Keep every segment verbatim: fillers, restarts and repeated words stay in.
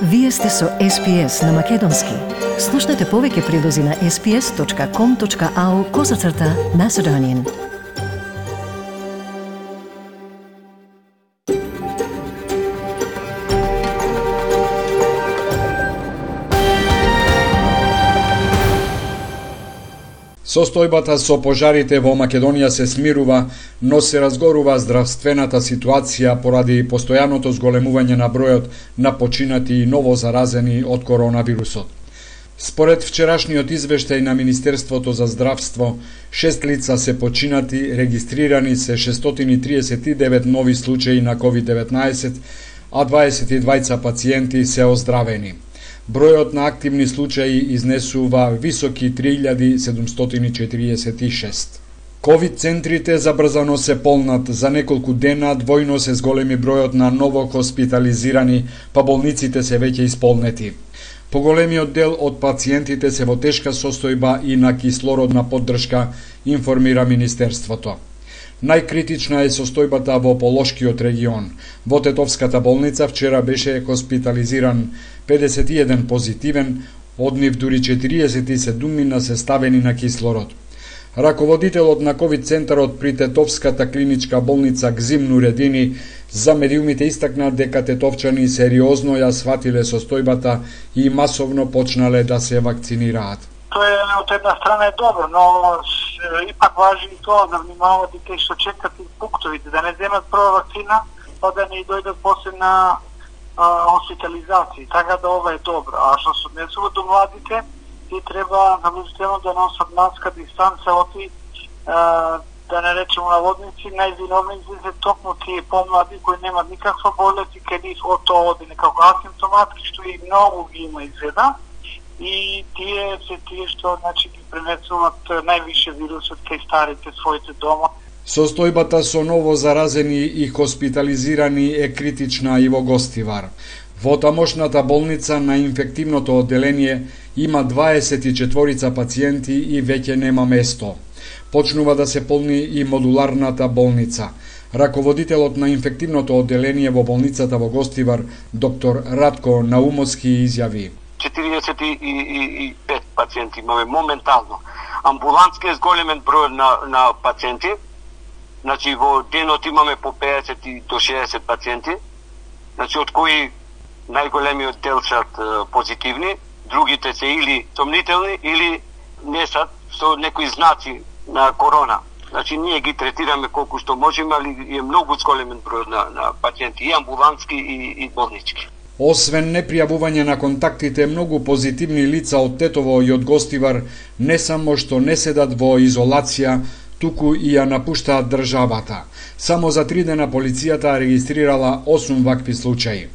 Вие сте со Ес Пи Ес на Македонски. Слушнете повеќе прилози на ес пи ес точка ком точка ау козацрта Macedonian. Состојбата со пожарите во Македонија се смирува, но се разгорува здравствената ситуација поради постојаното зголемување на бројот на починати и ново заразени од коронавирусот. Според вчерашниот извештај на Министерството за здравство, шест лица се починати, регистрирани се шестстотини и триесет и девет нови случаи на ковид деветнаесет, а дваесет и двајца пациенти се оздравени. Бројот на активни случаи изнесува високи три илјади седумстотини четириесет и шест. Ковид центрите забрзано се полнат, за неколку дена двојно се зголеми бројот на ново хоспитализирани, па болниците се веќе исполнети. Поголемиот дел од пациентите се во тешка состојба и на кислородна поддршка, информира Министерството. Најкритична е состојбата во Полошкиот регион. Во Тетовската болница вчера беше хоспитализиран педесет и еден позитивен, од нив дури четириесет и седум се ставени на кислород. Раководителот на ковид центарот при Тетовската клиничка болница Гзим Нуредини за медиумите истакна дека тетовчани сериозно ја сватиле состојбата и масовно почнале да се вакцинираат. Тоа е од една страна е добро, но ипак важи и тоа да внимават и тие што чекат и пунктовите, да не земат прва вакцина, па да не дојдат после на хоспитализација. Така да ова е добро. А што се однесува до младите, ти треба наблюдително да носат маска, дистанца, оти да не речемо наводници, највиновници се токму тие помлади кои немат никаква болест и кај нив од тоа оди некако асимптоматски, што и многу ги има изгледа. И тие се тие што значи ги пренесуваат највише вирусот кај старите своите дома. Состојбата со ново заразени и хоспитализирани е критична и во Гостивар. Во тамошната болница на инфективното одделение има дваесет и четворица пациенти и веќе нема место. Почнува да се полни и модуларната болница. Раководителот на инфективното одделение во болницата во Гостивар, доктор Радко Наумовски, изјави: четириесет и пет пациенти имаме моментално. Амбулантски е зголемен број на, на пациенти. Значи во денот имаме по педесет до шеесет пациенти. Значи од кои најголемиот дел се позитивни, другите се или сомнителни или не се со некои знаци на корона. Значи ние ги третираме колку што можеме, али е многу зголемен број на, на пациенти и амбулантски и, и болнички. Освен непријавување на контактите, многу позитивни лица од Тетово и од Гостивар не само што не седат во изолација, туку и ја напуштаат државата. Само за три дена полицијата регистрирала осум вакви случаи.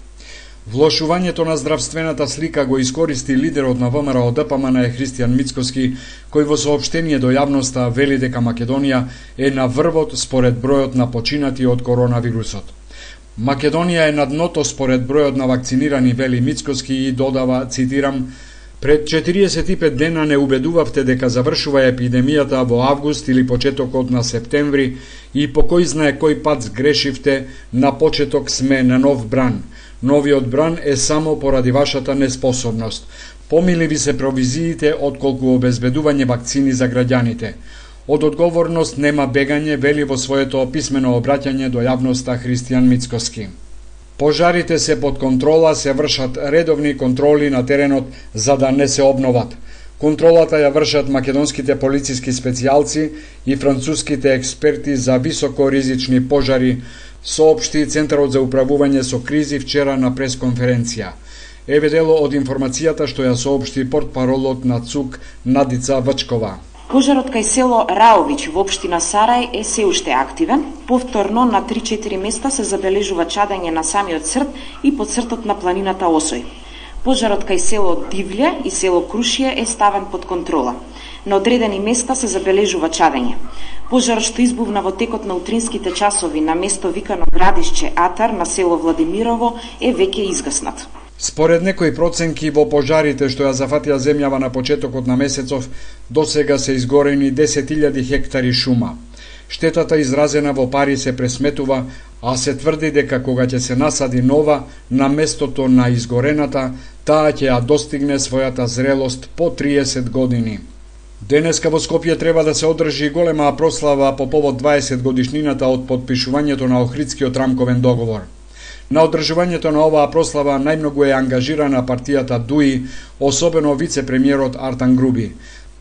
Влошувањето на здравствената слика го искористи лидерот на Вэ Ем Ер О Д П М Н Христијан Мицкоски, кој во соопштение до јавноста вели дека Македонија е на врвот според бројот на починати од коронавирусот. Македонија е на дното според бројот на вакцинирани, вели Мицкоски и додава, цитирам: "Пред четириесет и пет дена не убедувавте дека завршува епидемијата во август или почетокот на септември и по кој знае кој пат сгрешивте, на почеток сме на нов бран. Новиот бран е само поради вашата неспособност. Помили ви се провизиите отколку обезбедување вакцини за граѓаните. Од одговорност нема бегање", вели во своето писмено обраќање до јавноста Христијан Мицкоски. Пожарите се под контрола, се вршат редовни контроли на теренот за да не се обноват. Контролата ја вршат македонските полициски специјалци и француските експерти за високоризични пожари, соопшти Центарот за управување со кризи вчера на пресконференција. Еве дело од информацијата што ја соопшти портпаролот на ЦУК Надица Вачкова. Пожарот кај село Раович во општина Сарај е се уште активен. Повторно на три-четири места се забележува чадење на самиот црт и под цртот на планината Осој. Пожарот кај село Дивле и село Крушие е ставен под контрола. На одредени места се забележува чадење. Пожарот што избувна во текот на утринските часови на место викано Градишче Атар на село Владимирово е веќе изгаснат. Според некои проценки во пожарите што ја зафатија земјава на почетокот на месецов, досега се изгорени десет илјади хектари шума. Штетата изразена во пари се пресметува, а се тврди дека кога ќе се насади нова на местото на изгорената, таа ќе ја достигне својата зрелост по триесет години. Денеска во Скопје треба да се одржи голема прослава по повод дваесет годишнината од потпишувањето на Охридскиот рамковен договор. На одржувањето на оваа прослава најмногу е ангажирана партијата ДУИ, особено вице-премиерот Артан Груби.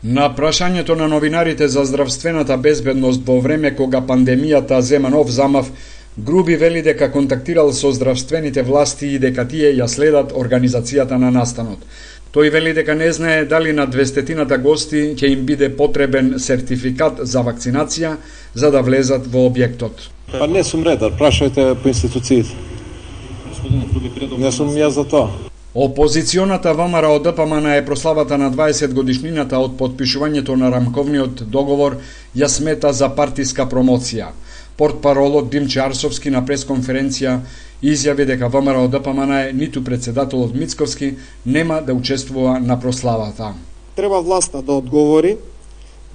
На прашањето на новинарите за здравствената безбедност во време кога пандемијата зема нов замав, Груби вели дека контактирал со здравствените власти и дека тие ја следат организацијата на настанот. Тој вели дека не знае дали на двестотината гости ќе им биде потребен сертификат за вакцинација за да влезат во објектот. Па не сум редар, прашајте по институциите. Не сум јас за тоа. Опозиционата ВМРО ДПМН е прославата на дваесет годишнината од потпишувањето на рамковниот договор ја смета за партиска промоција. Портпаролот Димче Арсовски на пресконференција изјави дека ВМРО ДПМН ниту председателот Мицковски нема да учествува на прославата. Треба власта да одговори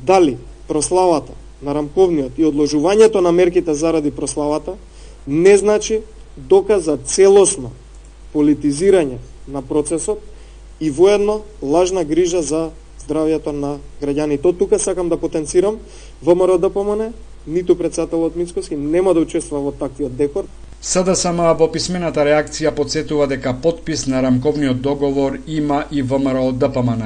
дали прославата на рамковниот и одложувањето на мерките заради прославата не значи доказ за целосно политизирање на процесот и воедно лажна грижа за здравјето на граѓаните. Од тука сакам да потенцирам ВМРО ДПМН, ниту председателот Мицковски нема да учествува во таквиот декор. СДСМ во писмената реакција подсетува дека подпис на рамковниот договор има и ВМРО ДПМН.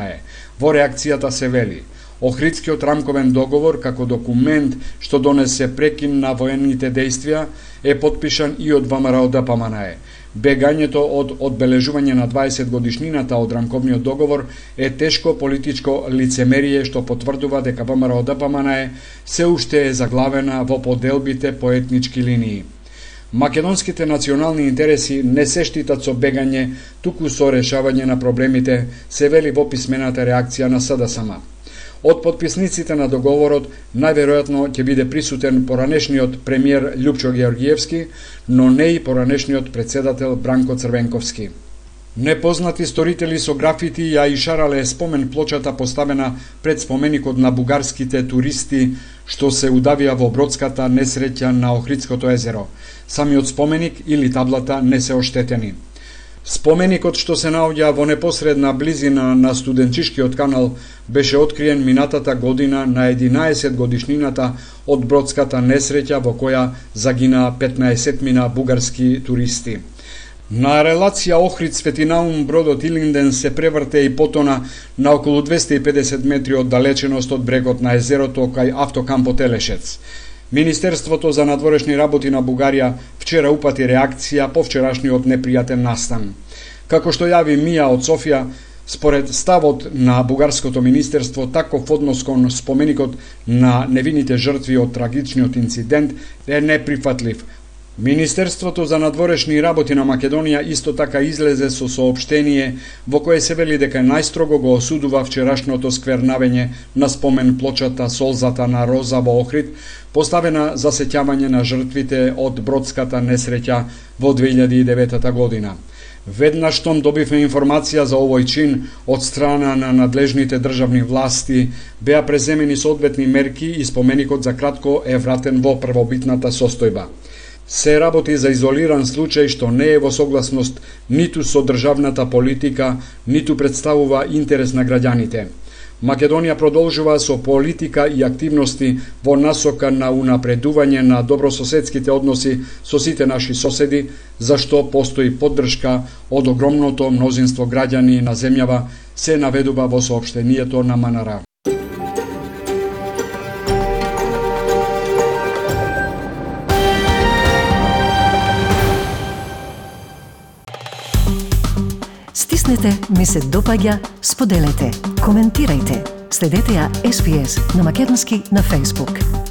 Во реакцијата се вели: Охридскиот рамковен договор како документ што донесе прекин на воените дејствија е подпишан и од ВМРО ДПМН. Бегањето од одбележување на дваесет годишнината од рамковниот договор е тешко политичко лицемерие што потврдува дека ВМРО ДПМН се уште е заглавена во поделбите по етнички линии. Македонските национални интереси не се штитат со бегање, туку со решавање на проблемите, се вели во писмената реакција на СДСМ. Од потписниците на договорот најверојатно ќе биде присутен поранешниот премиер Љупчо Георгиевски, но не и поранешниот председател Бранко Црвенковски. Непознати сторители со графити ја ишарале спомен плочата поставена пред споменикот на бугарските туристи што се удавија во бродската несреќа на Охридското езеро. Самиот споменик или таблата не се оштетени. Споменикот што се наоѓа во непосредна близина на студенчишкиот канал беше откриен минатата година на единаесет годишнината од бродската несреќа во која загинаа петнаесетмина бугарски туристи. На релација Охрид Светинаум бродот Илинден се преврте и потона на околу двесте и педесет метри од далеченост од брегот на езерото кај автокампот Елешец. Министерството за надворешни работи на Бугарија вчера упати реакција по вчерашниот непријатен настан. Како што јави Мија од Софија, според ставот на бугарското министерство, таков однос кон споменикот на невините жртви од трагичниот инцидент е неприфатлив. Министерството за надворешни работи на Македонија исто така излезе со соопштение во кое се вели дека најстрого го осудува вчерашното сквернавење на спомен плочата Солзата на Роза во Охрид, поставена за сеќавање на жртвите од бродската несреќа во две илјади и девета година. Веднаш штом добивме информација за овој чин од страна на надлежните државни власти, беа преземени соодветни мерки и споменикот за кратко е вратен во првобитната состојба. Се работи за изолиран случај што не е во согласност ниту со државната политика, ниту представува интерес на граѓаните. Македонија продолжува со политика и активности во насока на унапредување на добрососедските односи со сите наши соседи, за што постои поддршка од огромното мнозинство граѓани на земјава, се наведува во соопштението на МНР. Стиснете, ми се допаѓа, споделете, коментирајте. Следете ја Ес Би Ес на македонски на Facebook.